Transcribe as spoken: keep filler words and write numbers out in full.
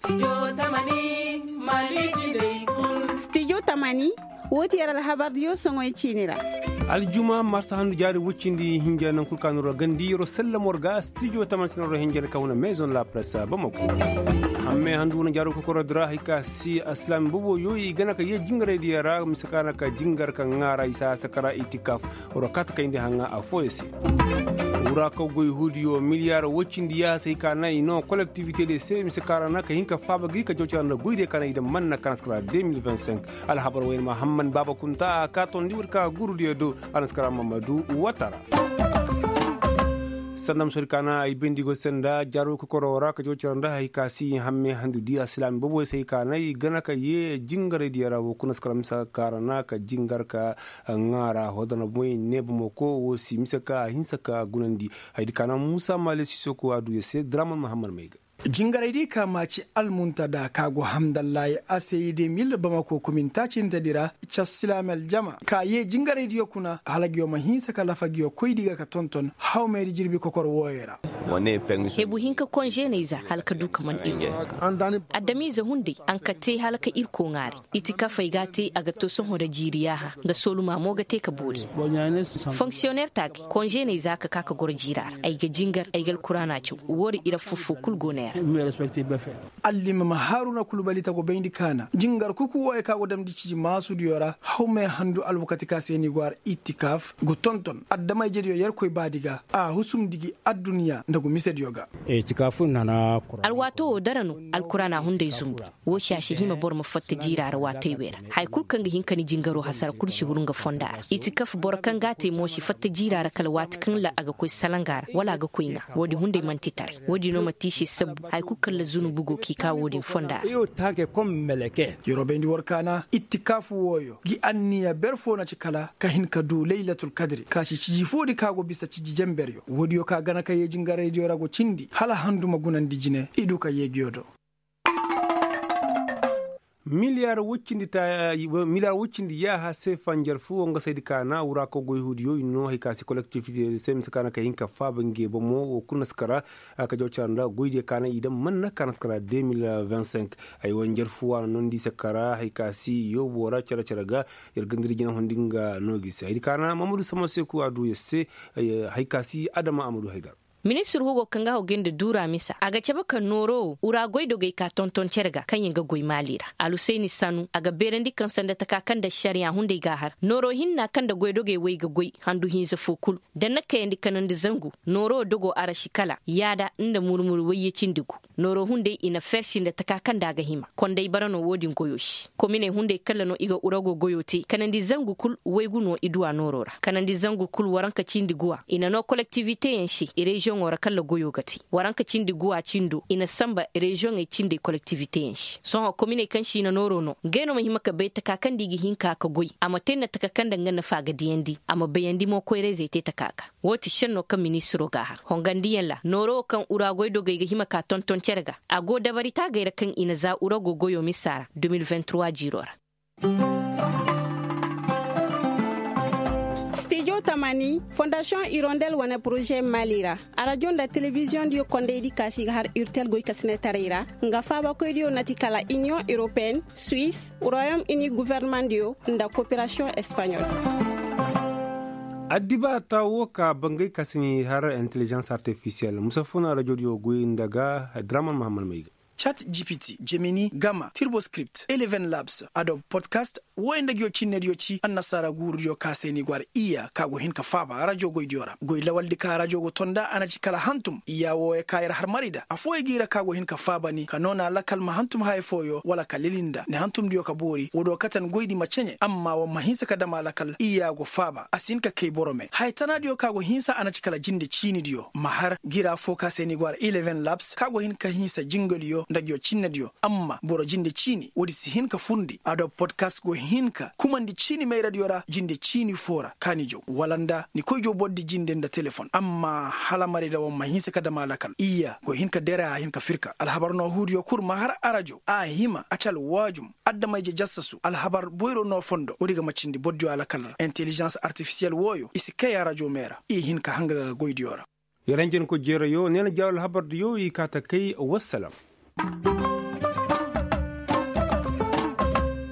Studio tamani. Woo ti yer alhabardiyo soŋoy ciini ra. Aljuma marsa handu jaari woy cindi hinja naŋ kul ka no ra gandi yeroo sellem war ga studio tamani se no ra hinja ka huna maison la presse bamako. Hammey handu wane jaaro kokoroo di ra hay ka si alsilaami boboyo i gana ka yee jingaraydiyo ra mise ka na ka jingar ka ŋaara i saa sakara itikaf. War kaati kayndi haŋa affooyo se. Wura kaw goy huudiyo miliyar woy cindi yaaha se hay ka na i noo kolektivite diyo se mise ka ra na ka hin ka faaba gi ka jawcara nda goydiyo ka na i daŋ manna ka na si kara deux mille vingt-cinq. Alhabar wayne mahamman baaba kunta a ka tondi woodi ka gurudiyo do. A na si kara mamadu watara. Sanda ma soodi ka na ay bayndi go se nda jaaro kokoroo ra ka jawcara nda hay ka si hamme handu di alsilaami boboyo se hay ka na i gana ka yee jingaraydiyo ra wo kuna si kara mise ka ra na ka jingar ka ŋaara hodana boy neeba mo ko wo si mise ka a hinsa ka gunandi. Haydi ka na muusa maale sisoko a du ya se draman mahammad may ga. Jingaray di ka ma ci almuntada ka go hamdallahi a se i de mil bamako kuminta cinte di ra. Ca silaami aljama ka yee jingaray diyo kuna hala ngiyo ma hinsa ka lafa ngiyo koy di ga ka tonton hawmey di jirbi kokor wooyo ra. Hebu hinka konženey za hala ka du ka man ir. Adamize hunday a na ka te hala ka irko ŋaaray. Itikafey ga a te a ga to sohõ nda jiiri yaaha nga soolumaa mo ga te ka boori. Fonksiyoneer taagay konženey za ka ka ka goro jiiraa ra ay ga jingar ay ga alkuraana caw. Woodin ir affoo foo kul go neera. Allimma haruna kul balita go bayndi kaana jingar kuku wooyo ka go damndi ciji maasudiyo ra hawmey handu alwakati ka se ni go har itikaf go tonton adama-ijediyo yerkoy baadi ga. A husumndi gi adduɲɲa nda go misediyo ga. Alwaato wo dara no. Alkuraana hunday zumbu. Woo se a si hima boro ma fatta jiiraa ra waatey wey ra. Haya kul kaŋ ga hin ka ni jingaroo hasara kul si huru nga fondaa ra i si kafa boro kaŋ ga a te mo si fatta jiiraa ra kala waati kaŋ ra a ga koy salangaa ra wala a ga koy ŋaa. Woodin hunday man'ti taray. Woodin no man'ti i se sabbu haya kul kaŋ ra zunubu go k'i kaa woodin fondaa ra. Yeroo bayndi war kaana ittikaafu wooyo ngi anniya ber foo na ci kala ka hin ka duu laylatul kadri ka si ciji foodi ka go bisa ciji jenberyo. Woodiyo ka gana ka yee jingaraydiyo ra go cindi hala handu ma gunandi jine i duu ka yee ngiyo do. Miliyaar woy cindi yaaha se fanjar foo nga saydi ka na wura ka goy huudiyo i noo hay ka se kolektifite se mise ka na ka hin ka faaba nge bomo woo kul na si kara. Ka jaw cara nda goydiyo ka na i daŋ man na ka na si kara deux mille vingt cinq. Ay wanjar foo a na noondi i se kara hay ka se yoobo ra care care ga. Yer gandari jina hundi nga noo gi se haydi ka na mamadu sama se ku a duu yer se. Hay ka se adama amadu haydar. Ministir hugo kaŋ ga haw gay nda duura misa a ga cabe ka nooro wo wura goydogey ka tonton cere ga kaŋ yaŋ ga goy maali ra. Alusayni sanu a ga beerandi kaŋ sanda taka kaŋ nda ašariya hunday g'a har nooro hinna kaŋ nda goydogey way ga goy handu hinza foo kul. Da na kayandi kanandi zangu nooro wo dogo araši kala yaada nda murmur wayye cindi gu. Nooro hunday i na fersi nda taka kaŋ nda a ga hima konday bara no wo-din goyo se. Kominey hunday kala no i ga urago goyo te kanandi zangu kul waygu no i duw'a nooro ra kanandi zangu kul waranka cindi guwa i na noo kolektiviteyaŋ se reziyoŋo ra kala goyo ga te. Waranka cindi guwa cindo i na sanba reziyoŋey cindey kolektiviteyaŋ se sohõ kominey kaŋ se i na nooro no ngey no ma hima ka bay taka kaŋ nda i ga hin ka ka goy a ma te nda taka kaŋ nda nga nafa ga diyandi a ma bayandi mo koyrayzey te taka ga. Woo ti šennoo kaŋ ministiroo g'a har hongandiyaŋ ra nooro wo kaŋ uragoydogey ga hima ka tonton cere ga. A go dabari taagey ra kaŋ i na za urago goyo misa ra deux mille vingt trois jiiroo ra. Stijo tamani fondasiyoŋ irondel wane poroze maali ra. Arajo nda telebiziyoŋdiyo kondaydi kaasi ga har irtel goykasinetaray ra. Nga faabakoydiyo na ti kala iniyoŋ europeyenne, suwis, royom ini governemandiyo nda koperasiyoŋ espaɲol. Addibaata woo ka bangay ka si ni har intelijans artifisiyel musa funa rajodiyo goy nda ga. Draman mahammad may ga. Cat gpt, jemini, gama, tirboscript, eleven labs, adobe podcast, wooyo nda nguyo cinnediyo ci annasaara guurudiyo ka se ni go har iya ka go hin ka faaba rajo goydiyo ra goy lawaldi ka rajo go tonda a na ci kala hantum iya wooyo ka yer har mari nda affooyo g'i ra ka go hin ka faaba ni ka noona lakal ma hantum haya fooyo wala ka lili nda ni hantumdiyo ka boori woodiyo kate ni goydi ma ceɲe amma war ma hinsa ka dam a lakal iya go faaba a si hin ka kay boro me haya tanaadiyo ka go hinsa a na ci kala jinde ciinidiyo ma har gira foo ka se ni go har eleven labs ka go hin ka hinsa jingaliyo nda nguyo cinnediyo amma boro jinde ciini woodi si hin ka furndi adobe podcast go hin ka kumandi ciini mayradiyo ra jinde ciini foo ra ka ni jaw wala nda ni koy jaw bordi jinde nda telefon amma hala marayda war ma hinsa ka dam a lakal iyya go hin ka dere a hin ka firka alhabar no huudiyo kul ma har arajo a hima a ci alwaajum adama-ije jassasu alhabar boyro no fondo woodi ga ma cindi bordiyo alakal ra intelijans artifisiyel wooyo i si kay arajo me ra i hin ka hanga ga goydiyo ra. Yaranjenko jeerayo neena jaaru alhabardiyo i kaa ta kay wassalam.